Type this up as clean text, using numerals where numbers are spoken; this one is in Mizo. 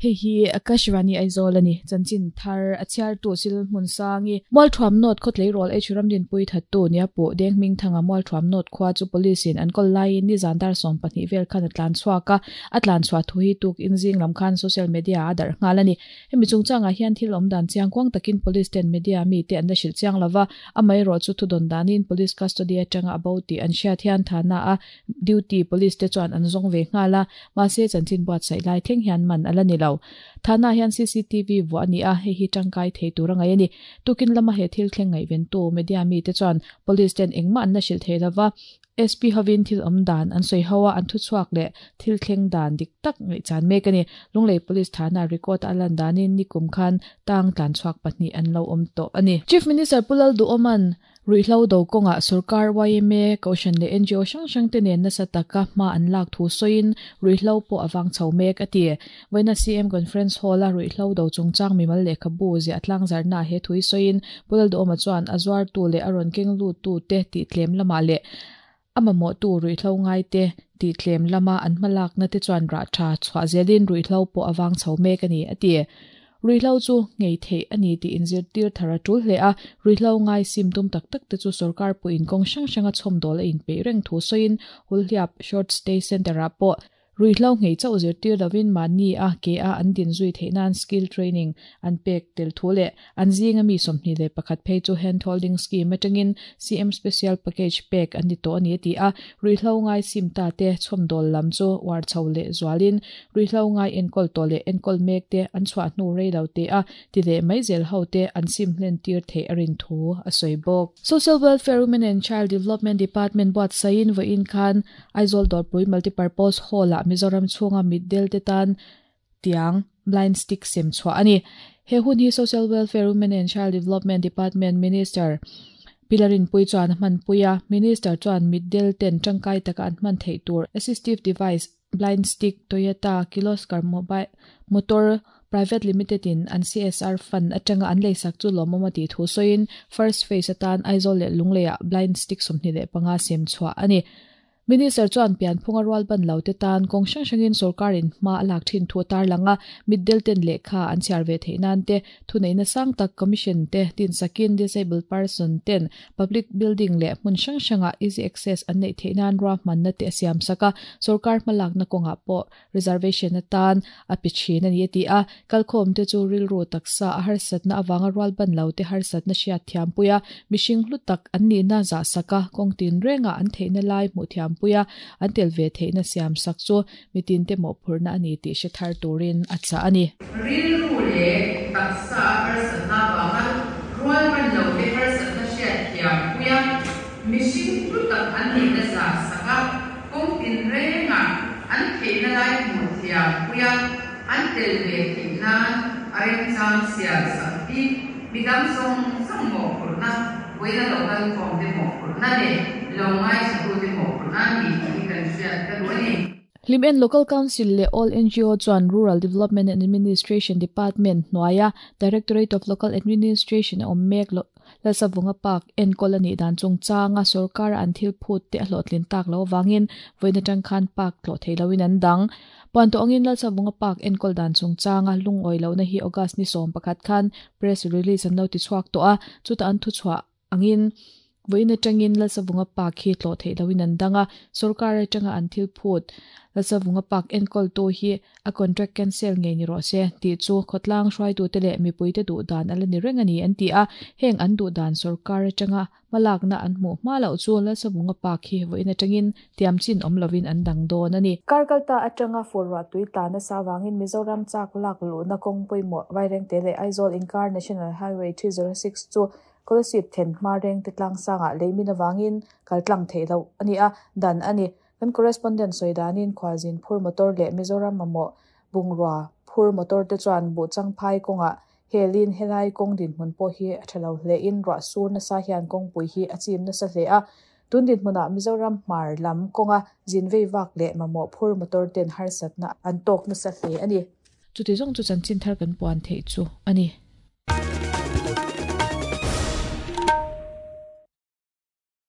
Hei hi Akashvani Aizawl a ni. Chanchin thar a chhiartu Sil Hmunsangi. Mualthuam North khaw tleirawl H Ramdinpui thattu nia puh Deng Hmingthanga Mualthuam North khua chu Police in an kawl laiin nizan dar 12 vel khan a tlan chhuak a, a tlan chhuah thu hi tuk in zing lam khan social media ah a darh nghal a ni. Hemi chungchangah hian thil awm dan chiang kuang takin Police ten media mite an la hrilh chiang lova, amaherawh chu thudawn danin Police custody atanga a bo tih an hriat hian thana a duty Police te chuan an zawng ve nghal a, mahse chanchin buatsaih lai thleng hian man a la ni lo. Thana hian cctv vuah a ni a, hei hi tangkai thei tur a ngaih a ni. Tukin lama he thil thleng ngaihventu media mite chuan Police ten engmah an la hrilh thei lova, SP hovin thil awm dan an sawi ho a, an thuchhuak leh thil thleng dan dik tak ngaihchan mek a ni. Lunglei Police thana record a lan danin nikum khan tang tlanchhuak pahnih an lo awm tawh a ni. Chief Minister Pu Lalduhawma'n ruihhlo do kawngah sorkar, yma, Kohhran leh ngo hrang hrang te nen nasa taka hma an lak thu sawiin ruihhlo pawh a vang chho mek a ti. Vawiina CM Conference Hall-a ruihhlo do chungchang mimal lehkhabu ziah tlangzarhnaah he thu hi sawiin Pu Lalduhawma chuan a zuartu leh a rawn keng luttu te tihtlem lamah leh a mamawhtu ruihhlo ngaite tihtlem lama an hmalakna te chuan rah tha chhuah zelin ruihhlo pawh a vang chho mek a ni, a ti. Ruihhlo chu ngei theih a ni tih inzirtir thar a tul hle a, ruihhlo ngai sim tum tak tak te chu sorkar pawhin kawng hrang hranga chhawmdawl a inpeih reng thu sawiin Hulhliap Short Stay Centre-ah pawh Ruihhlo nghei chauh zirtir lovin mahni a ke a an din zui theih nan skill training an pek tel thu leh an zinga mi 21 phei chu hand holding scheme atangin CM special package pek an ni tawh a ni a ti a. Ruihhlo ngai sim ta te chhawmdawl lam chu uar chho leh zualin ruihhlo ngai enkawl tawh leh enkawl mek te an chhuah hnu rei lo te a ti leh mai zel ho te an sim hlen tir theih a rin thu a sawi bawk. Social Welfare Women and Child Development Department buatsaihin vawiin khan Aizawl Dawrpui Multipurpose Hall-ah Mizoram chhunga mitdel te tan tiang, blind stick, sem chhuah a ni. He hun hi Social Welfare, Women and Child Development Department Minister Pi Larinpui chuan a hmanpui a. Minister chuan mitdel ten tangkai taka an hman theih tur assistive device, blind stick, Toyota Kirloskar Mobile Motor Private Limited in an CSR fund atanga an leisak chu lawmawm a tih thu sawiin first phase atan Aizawl leh Lungleiah blind stick 25 sem chhuah a ni. Minister chuan pianphunga rual ban lo te tan kawng hrang hrangin sorkarin hma a lak thin thu a tarlang a, mitdel ten lehkha an chhiar ve theih nan te, thuneihna sang tak commission te tinsakin disabled person ten public building leh hmun hrang hrangah easy access an neih theih nan ruahmanna te a siamsak a, sorkar hmalakna kawngah pawh reservation atan a pe thin a ni a ti a. Kalkhawm te chu rilru taksa a harsatna avanga rual ban lo te harsatna hriat thiampui a, mihring hlu tak an nihna zahsak a, kawng tin renga an theihna lai hmuh thiampui a, an tel ve theihna siam sak chu mitin te mawhphurhna a ni tih hre thar turin a chah a ni. Rilru leh taksa a harsatna avanga rual ban lo te harsatna hriat thiampui a, mihring hlu tak an nihna zahsak a, Kawng tinrengah an theihna lai hmuh thiam puia an tel ve theih nan a remchang siam sak hi midang zawng zawng mawhphurhna, vawiina lo kal khawmte mawhphurhna leh lo ngaithlatute mawhphurhna a ni tih hi kan hriat ka duh a ni. Hlimen Local Council leh All ngo chuan Rural Development and Administration Department hnuaia Directorate of Local Administration a awm mek loh Lalsavunga Park enkawl a nih dan chungchanga sorkara an thil phut te a hlawhtlin tak loh avangin vawiin atang khan park tlawh thei loin an dang. Puan tawh angin Lalsavunga Park enkawl dan chungchanga lungawi lohna hi August ni 11 khan press release an lo ti chhuak tawh a, chutah an thuchhuah angin vawiin atangin Lalsavunga Park hi tlawh theih loin an dang a, sorkar atanga an thil phut Lalsavunga Park enkawltu hi A contract cancel ngei ni rawh se tih chu khawtlang hruaitute leh mipuite duh dan a la ni reng a ni an ti a, heng an duh dan sorkar atanga hmalakna an hmuh hma loh chu Lalsavunga Park hi vawiin atangin tiam chin awm lovin an dang dawn a ni. Karkalta atanga fur ruah tui tla nasa avangin Mizoram chak lak luhna kawng pawimawh Vairengte leh Aizawl inkar National Highway 306 chu Kolasib then hma rengte tlangsangah leimin avangin kaltlang theih loh a ni a, dan a ni. Kan correspondent sawi danin khualzin phur motor leh Mizoram mamawh bungrua phur motor te chuan Buhchangphai kawngah helin helai kawng dinhmun pawh hi a tha lo hlein ruah sur nasa hian kawngpui hi a chim nasa hle a. Tun dinhmunah Mizoram hmar lam kawnga zin vei vak leh mamawh phur motor ten harsatna an tawk nasa hle a ni. Chuti zawng chu chanchin thar kan puan theih chu a ni.